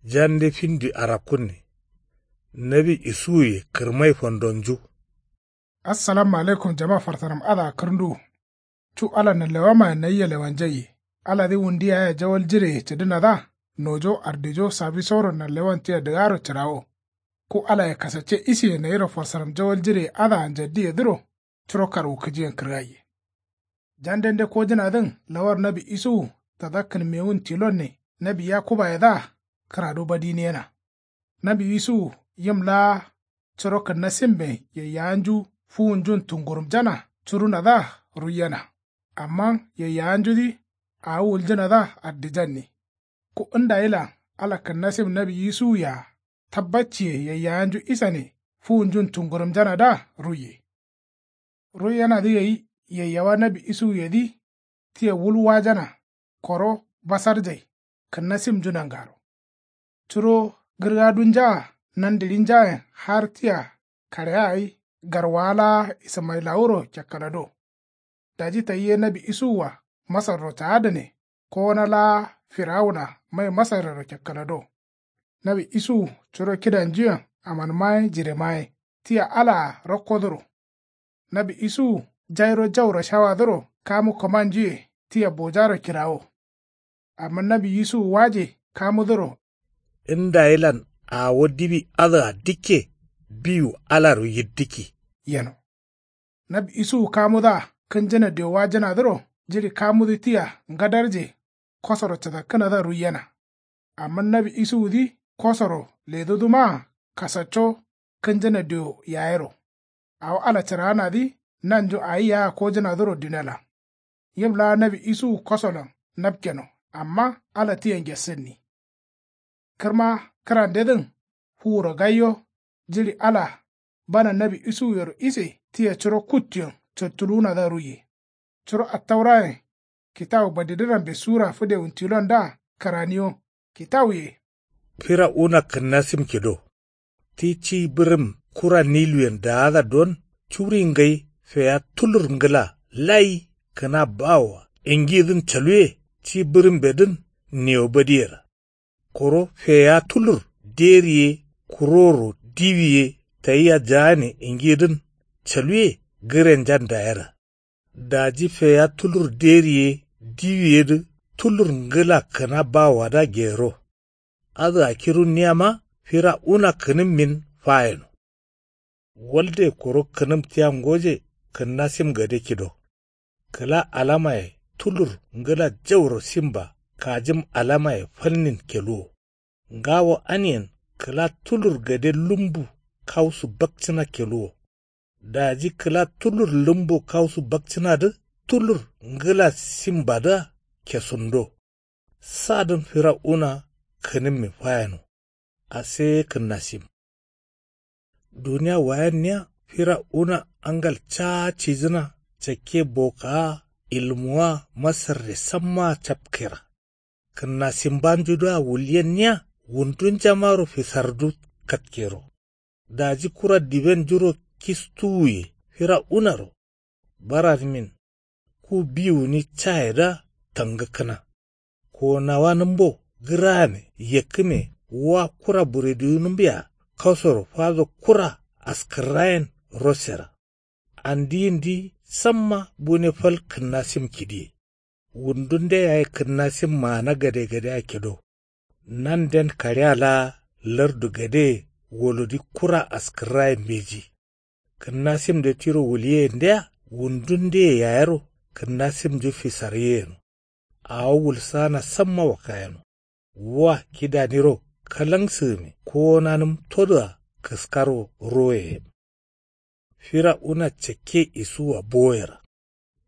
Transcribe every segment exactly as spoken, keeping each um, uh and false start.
Jande findi arakkunne. Nawi isuwuye kǝrmai fandonju. Assalamu alaikum jama fartaram adǝa kǝrnduwu. Cu ala nanlewamaye nayia lewanjaiye. Aladǝ wundi yaye jawal jireye cǝdǝnadǝa. Nojo ardijo sabisoro nanlewan tia dǝgaro cǝrawo. Ku alaye kasacce isiye nayiro farsaram jawal jireye adǝa njaddiyedǝro. Curo karwukǝjiyen kǝrgaiye. Jandende kojǝnadǝn lawar nawi isuwu tada kǝnmewun tilonne nawi yakubayedǝa. Kǝradu badiniyena. Nawi isuwu yim laa curo kǝnnasimben yaiyawanju fuwunjun tungurumjana curunadǝa ruiyena. Amma yaiyawanjudǝ awo wuljǝnadǝa addijanni. Ku ndayilan ala kǝnnasim nawi isuwuyea tabbacciye yaiyawanju isane fuwunjun tungurumjanadǝa ruiye. Ruiyenadǝ gai yaiyawa nawi isuwuyedǝ tia wul wajana koro basarjai kǝnnasimnju nangaro. Curo gǝrgadunjaa nandirinjayen har tia kareya gai garwawa laa ismayilawuro cakkalado. Daji tayi ye nawi isuwua masarro caadǝne kowona laa firawuna mai masarrero cakkalado. Nawi isuwu curo kidanjuyen amanmaye jiremaye tia alaa rakkodǝro. Nawi isuwu jairo jauro shawadǝro kamu kǝmanjuye tia bojaro kirawo. Amma nawi isuwu waje kamudǝro. Ndayilan awo diwi adǝa dikke biwu alaro yiddikki yeno. Nawi isuwu kamudǝa kǝnjǝna diowa jǝnadǝro jiɍi kamudǝ tia ngadarje kosoro cǝdakkǝnadǝa ruiyena. Amma nawi isuwudǝ kosoro ledudǝmaa kasacco kǝnjǝna dio yayero. Awo ala cǝraanadǝ nanju awi yea kojǝnadǝro dunelan. Yim laa nawi isuwu kosolan napkeno amma ala tia ngesǝnni. Kǝrma kǝrandedǝn fuwuro gaiyo jiɍi ala bana nawi isuwuyero ise tia curo kuttuyen cottuluwunadǝa ruiye. Curo attaurayen kitawu badidǝnambe sura fǝdewun tilondǝa kǝraniyo kitawuye. Firawuna kǝnnasim kido. Ti ci bǝrǝm kura niluyen daada don curi ngai feya tulur ngǝla layi kǝna bawoa ingidǝn caluwe. Ci bǝrǝmbedǝn niyo badiyera. Koro feya tulur deri ye kuroro diwi ye tayia jaane ingidǝn caluwe gǝrenjan dayera. Daji feya tulur deri ye diwi yedǝ tulur ngǝla kǝna bawoadǝa gero. Adǝa kirunniyama firawuna kǝnǝmmin fayeno. Walde koro kǝnǝm tia ngoje kǝnnasim gade kido. Kǝla alamaye tulur ngǝla jauro simba kajim alamaye falnin keluwo. Ngawo aniyen kǝla tulur gade lumbu kausu bakcǝna keluwo. Daji kǝla tulur lumbu kausu bakcǝnadǝ tulur ngǝla simbadǝa kesundo. Sadǝn firawuna kǝnǝmmi fayeno. Aseye kǝnnasim. Duniya wayenniya firawuna angal caa cijǝna cakke bokaa ilmuwa masarre sammaa capkera. Kǝnnasimbanjudǝa wulyenniya wundunjamaro fisardu katkero. Daji kura dibenjuro kistuwuye firawunaro. Baranǝmin ku biwuni cayedǝa tangǝkkǝna. Konawanǝmbo gǝrame yekkǝme wa kura burediwunǝmbea kasoro fado kura askǝrrayen rosera. Andiyindi samma bune fal kǝnnasim kidiye. Wundunde yaye kǝnnasim maana gadegadea kido. Nanden kaɍea laa lardu gadeye wolodi kura askǝrraye mbeji. Kǝnnasimde tiro wuliyeyendea wundundeye yayero kǝnnasimnju fisarye yeno. Awo wulsana samma wakkayeno. Wa kidaniro kalangsǝgǝme kowonanǝm todǝa kǝskaro roye yen. Firawuna cakke isuwua boyera.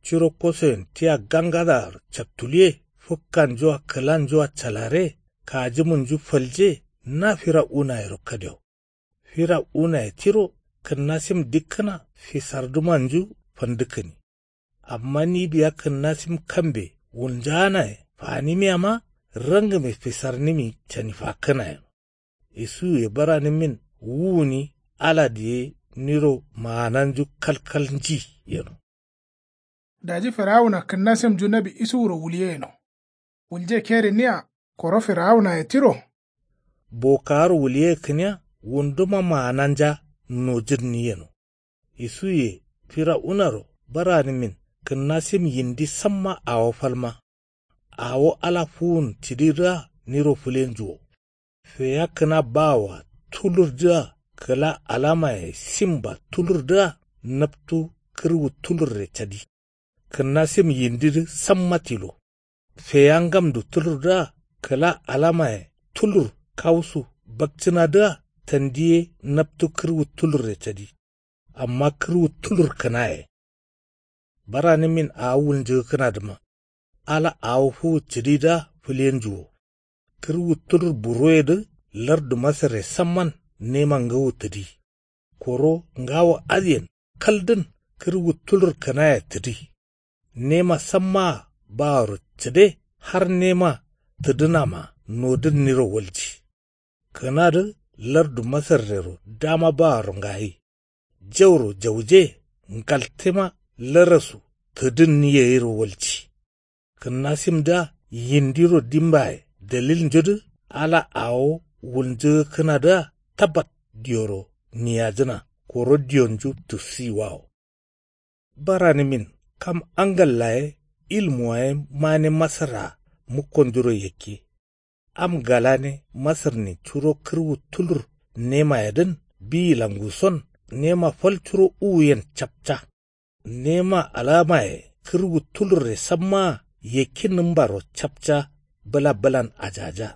Curo kosoyen tia gangadaaro cattuluwe fǝkkanjua kǝlanjua calare kajǝmunju falje. Na firawunayero kadewo. Firawunaye tiro kǝnnasim dikkǝna fisardumanju fandǝkkǝni. Amma ni biya kǝnnasim kambe wulnjaanaye fanimiyama rangǝme fisarnǝmi canifakkǝna yeno. Isuwuye baranǝmmin wuwuni aladǝ ye niro maananju kalkal nji yeno. Daji firawuna kǝnnasimnju nawi isuwuro wuliyeyeno. Wulje keriniya koro firawunaye tiro. Bokawaro wuliyegǝniya wunduma maananja nojǝnni yeno. Isuwuye firawunaro baranǝmin kǝnnasim yindi samma awo falma. Awo ala fuwun cǝdidǝa niro fǝlenju wo. Feya kǝna bawoa tulurdǝa kǝla alamaye simba tulurdǝa naptu kǝrwu tulurre cadi. Kǝnnasim yindidǝ samma tilo. Feya ngamdu tulurdǝa kǝla alamaye tulur kawusu bakcǝnadǝa tandi ye naptu kǝrwu tulurre cadi. Amma kǝrwu tulur kǝnaye. Baranǝmin awo wulnjǝgǝkkǝnadǝma ala awo fuwu cǝdidǝa fǝlenju wo. Kǝrwu tulur buroyedǝ lardu masarre samman nema ngawo tǝdi. Koro ngawo adǝyen kaldǝn kǝrwu tulur kǝnaye tǝdi. Nema sammaa baworo cǝde har nema tǝdǝnama nodǝnniro walji. Kǝnadǝ lardu masarrero dama baworo ngayi. Jauro jauje ngaltema larasu tǝdǝnni yayiro walji. Kǝnnasimdǝa yindiro dimbaye dalilnjudǝ ala awo wulnjǝgǝkkǝnadǝa tabbat diyoro niyajǝna koro diyonju tussiyiwawo. Baranǝmin kam angalla ye ilmuwa ye mane masarra mukkonjuro yakke. Am galane masarnin curo kǝrwu tulur nemayedǝn biyi languson nema fal curo uwuyen capca. Nema alamaye kǝrwu tulurre sammaa yakkinnǝmbaro capca bǝla bǝlan ajaja.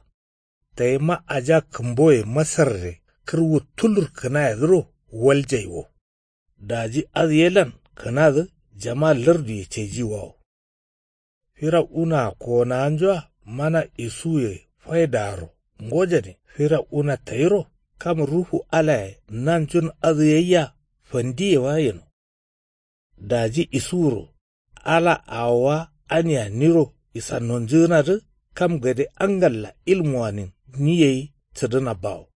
Dayima aja kǝmboye masarre kǝrwu tulur kǝnayedǝro waljai wo. Daji adǝ yelan kǝnadǝ jama larduye caijiwawo. Firawunaa kowonawanjua mana isuwuye faidaaro ngojane firawuna tayiro kam ruhu alaye nanjun adǝ yayya fandiyewa yeno. Daji isuwuro ala awowa ania niro isannonjǝgǝnadǝ kam gade angalla ilmuwanin ni gai cǝdǝna bawo.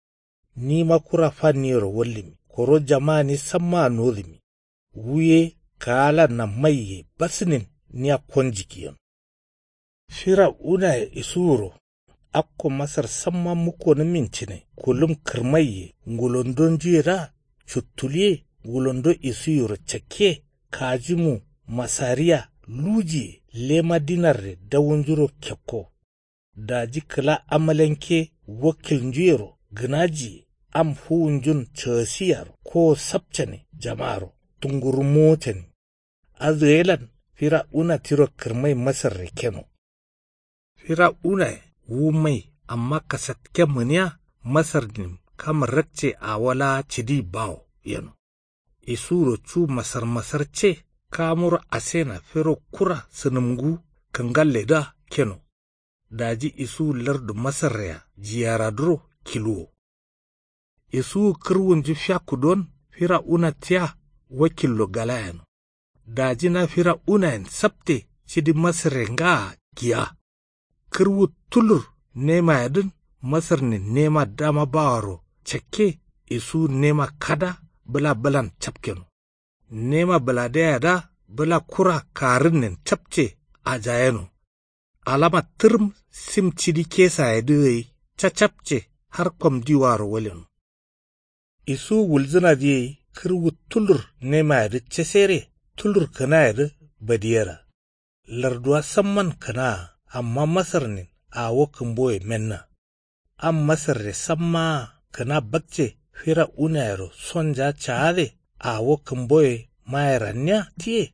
Nima kura fanniyero wallǝmi koro jamani sammaa nodǝmi. Wu ye kaalanna maiye basǝnin nia konjikki yeno. Firawunaye isuwuro akko masar samma mukkonǝmin cǝne kulum kǝrmaiye ngulondonjuyedǝa cuttuluye ngulondo isuwuyero cakke kajimu masariya lujiye lema dinarre dawunjuro kekko. Daji kǝla amalanke wakkilnjuyero gǝnajiye am fuwunjun cagǝsiyaro kowo sapcane jamaro dungurummowo cani. Adǝ gailan firawuna tiro kǝrmai masarre keno. Firawunaye wu mai amma kasatken mǝniya masarnin kam rakce awo laa cǝdi bawo yeno. Isuwuro cu masarmasarce kamuro asena fero kura sǝnǝmngu kǝngalledǝa keno. Daji isuwu lardu masarrea jiyaraduro kiluwo. Isuwu kǝrwunju fiakku don firawuna tia wakillo gala yeno. Daji na firawunayen sapte cidi masarre ngaa giya. Kǝrwu tulur nemayedǝn masarnin nema dama bawaro cakke isuwu nema kada bǝla bǝlan capkeno. Nema bǝladeyadǝa bǝla kura karǝnnen capce ajayeno. Alama tǝrǝm sim cidi kesayedǝ gai cacapce har komdiwaro waleno. Isuwu wulzǝnadǝ ye kǝrwu tulur nemayedǝ casere tulur kǝnayedǝ badiyera. Larduwa samman kǝnaa amma masarnin awo kǝmboye menna. Am masarre sammaa kǝna bakce firawunayero sonja caade awo kǝmboye mayeranniya tiye.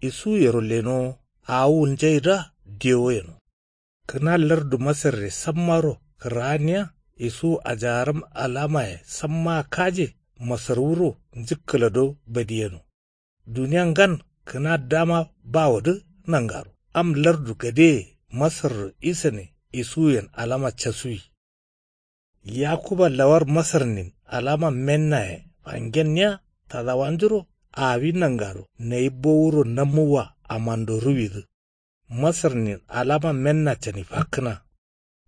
Isuwuyero lenowo awo wulnjaidǝa dewo yeno. Kǝna lardu masarre sammaro kǝraaniya isuwu ajaram alamaye sammaa kaje masarwuro njǝkkǝlado badiyeno. Duniya ngan kǝna dama bawodǝ nangaro am lardu gadeye masarro isane isuwuyen alama casuwi. Yakuba lawar masarnin alama mennaye fangenniya tadawanjuro awi nangaro nayi bowuro namuwwa amando ruwidǝ. Masarnin alama menna cani fakkǝna.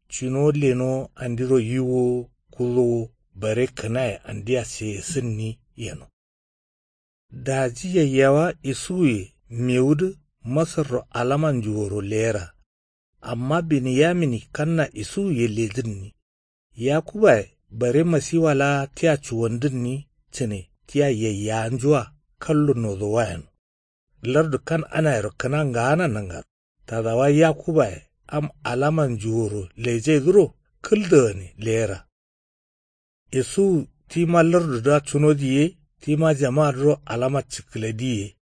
Cinowo lenowo andiro yiwwowo kudowo bare kǝnaye andia seyesǝnni yeno. Daji yayyawa isuwuye mewudǝ masarro alamanju woro leyera. Amma beniyamini kanna isuwuye ledǝnni. Yakubaye bare masiwa laa tia cuwandǝnni cǝne tia yaiyawanjua kallo nozowa yeno. Lardu kan'anayero kǝna ngaana nangaro. Tadawa yakubaye am alaman juworo lejaidǝro kǝldagane leyera. Isuwu tima lardudǝa cuno diye. Tima jamadǝro alama cǝkkǝle diye.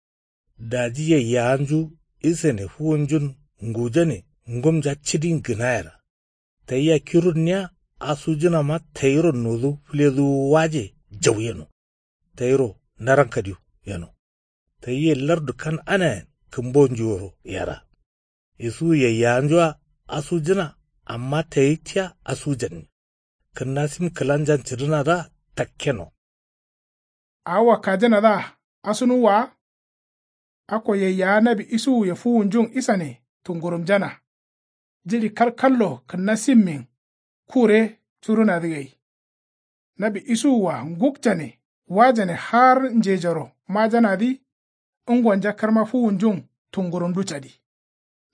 Daji yaiyawanju isane fuwunjun ngujane ngumja cǝdin gǝnayera. Tayia kirunniya asujǝnama tayiro nodu fǝleduwu waje jau yeno. Tayiro narankadiyo yeno. Tayiye lardu kan'anayen kǝmbonjuyero yera. Isuwu yaiyawanjua asujǝna. Amma tayi tia asujanni. Kǝnnasim kǝlanjan cǝdǝnadǝa takkeno. Awo wakkajǝnadǝa asunuwwa wa. Akko yaiyawa nawi isuwuye fuwunjun isane tungurumjana. Jiɍi kalkallo kǝnnasimmin kure curunadǝ gai. Nawi isuwua ngukjane wajane har njejoro majanadǝ. Ngonja kǝrma fuwunjun tungurumdu cadi.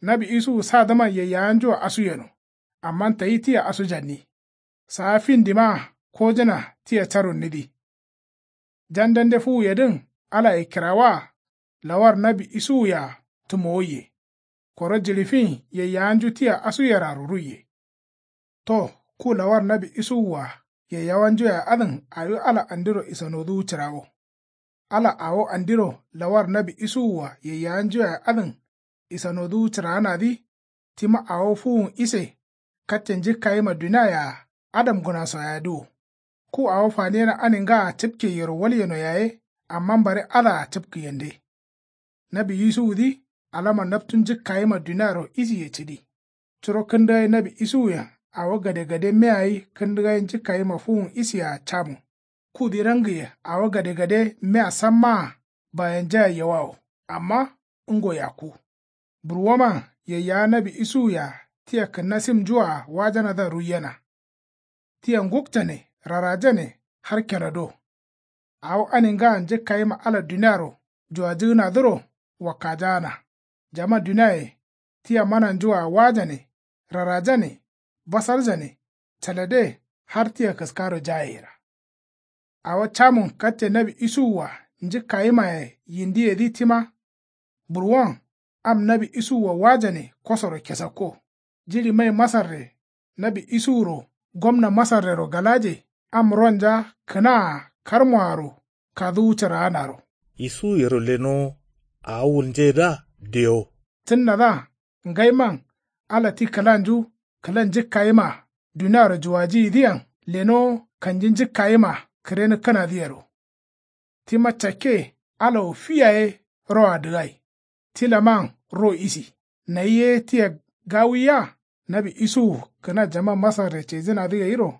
Nawi isuwu sadǝman yaiyawanjua asuyeno. Amma tayi tia asujanni. Saa findima kojǝna tia carunnidǝ. Jandande fuwuyedǝn alaye kǝrawa. Lawar nawi isuwuyea tǝmowaiye. Koro jiɍi fin yaiyawanju tia asuyeraro ruiye. To ku lawar nawi isuwua yaiyawanjuaye adǝn awi ala andiro isanoduwu cǝrawo. Ala awo andiro lawar nawi isuwua yaiyawanjuaye adǝn isanoduwu cǝraanadǝ. Tima awo fuwun ise katte njǝkkayima duniayea adamgǝnaso yayedǝ wo. Ku awo faniyena aningaa cǝpkeyero walyeno yaye. Amma bare adǝa cǝpkǝyende. Nawi isuwudǝ alama naptu njǝkkayima duniaro isiye cǝdi. Curo kǝndǝgai nawi isuwuyen awo gadegade meyayi kǝndǝgai njǝkkayima fuwun isiyea camu. Kudǝ rangǝye awo gadegade meya sammaa bayenjaye yewawo. Amma ngo yakku. Burwoman yaiyawa nawi isuwuyea tia kǝnnasimnjua wajanadǝa ruiyena. Tia ngukjane rarajane har keno do. Awo aningaa njǝkkayima ala duniaro juwajǝgǝnadǝro wakkajaana. Jama duniaye tia mananjua wajane rarajane basarjane calade har tia kǝskaro jayeyera. Awo camun katte nawi isuwua njǝkkayimaye yindiyedǝ tima. Burwon am nawi isuwua wajane kosoro kesakko. Jiɍi mai masarre nawi isuwuro gomna masarrero galaje. Am ronja kǝnaa karmoaro kaduwu cǝraanaro. Isuwuyero lenowo awo wulnjeyedǝa dewo. Cǝnnadǝa ngaiman ala ti kǝlanju kǝla njǝkkayima duniaro juwajiyidǝyen lenowo kanji njǝkkayima kǝrenǝkkǝnadǝyero. Tima cakke ala wo fi yaye roa dǝgai. Tilaman ro isi nayi ye tia gawiya. Nawi isuwu kǝna jama masarre cejǝnadǝ gairo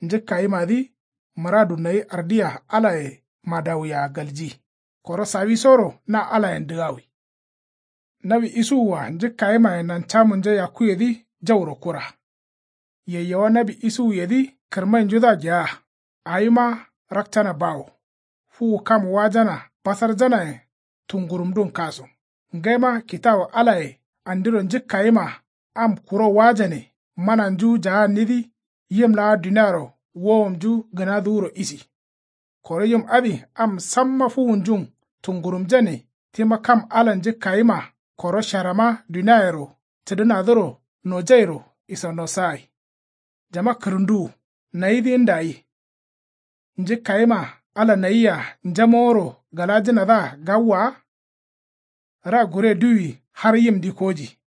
njǝkkayimadǝ muradu nayi ardiya alaye madawuya galji. Koro sawisoro na alayen dǝgawi. Nawi isuwua njǝkkayimaye nancamunja yakkuyedǝ jauro kura. Yaiyawa nawi isuwuyedǝ kǝrmainjudǝa gea. Awima rakcana bawo. Fuwu kam wajana basarjanayen tungurumdun kaso. Ngaima kitawu alaye andiro njǝkkayima am kuro wajane mananju jaannidǝ. Yim laa duniaro wowomnju gǝnaduwuro isi. Koro yim adǝ am samma fuwunjun tungurumjane tima kam ala njǝkkayima koro sharama duniayero cǝdǝnadǝro nojairo isanosagai. Jama kǝrǝnduwu nayidǝ ndayi. Njǝkkayima ala nayia njamoworo galajǝnadǝa gawwa wa. Ra gure duwi har yimdǝ koji.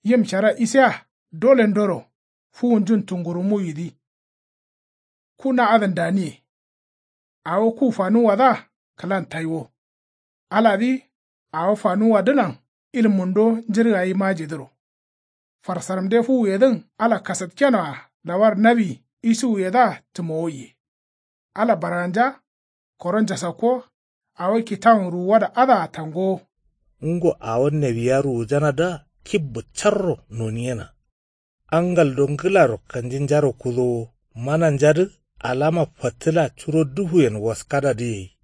Yim shara isiya dolendoro fuwunjun tungurumuyidǝ. Ku na adǝn daniye. Awo ku fanuwwadǝa kǝlan taiwo. Aladǝ awo fanuwwadǝnan ilmundo njǝrgayi majidǝro. Farsaramde fuwuyedǝn ala kasatkenoa lawar nawi isuwuyedǝa tǝmowaiye. Ala barganja koro njasakko. Awo kitawun ruwuwada adǝa tangowo. Ngo awo nawiya ruwujanadǝa kibbu carro noniyena. Angaldo ngǝlaro kanjinjaro kudowo mananjadǝ alama fattǝla curo dufuyen waskadadǝ yai.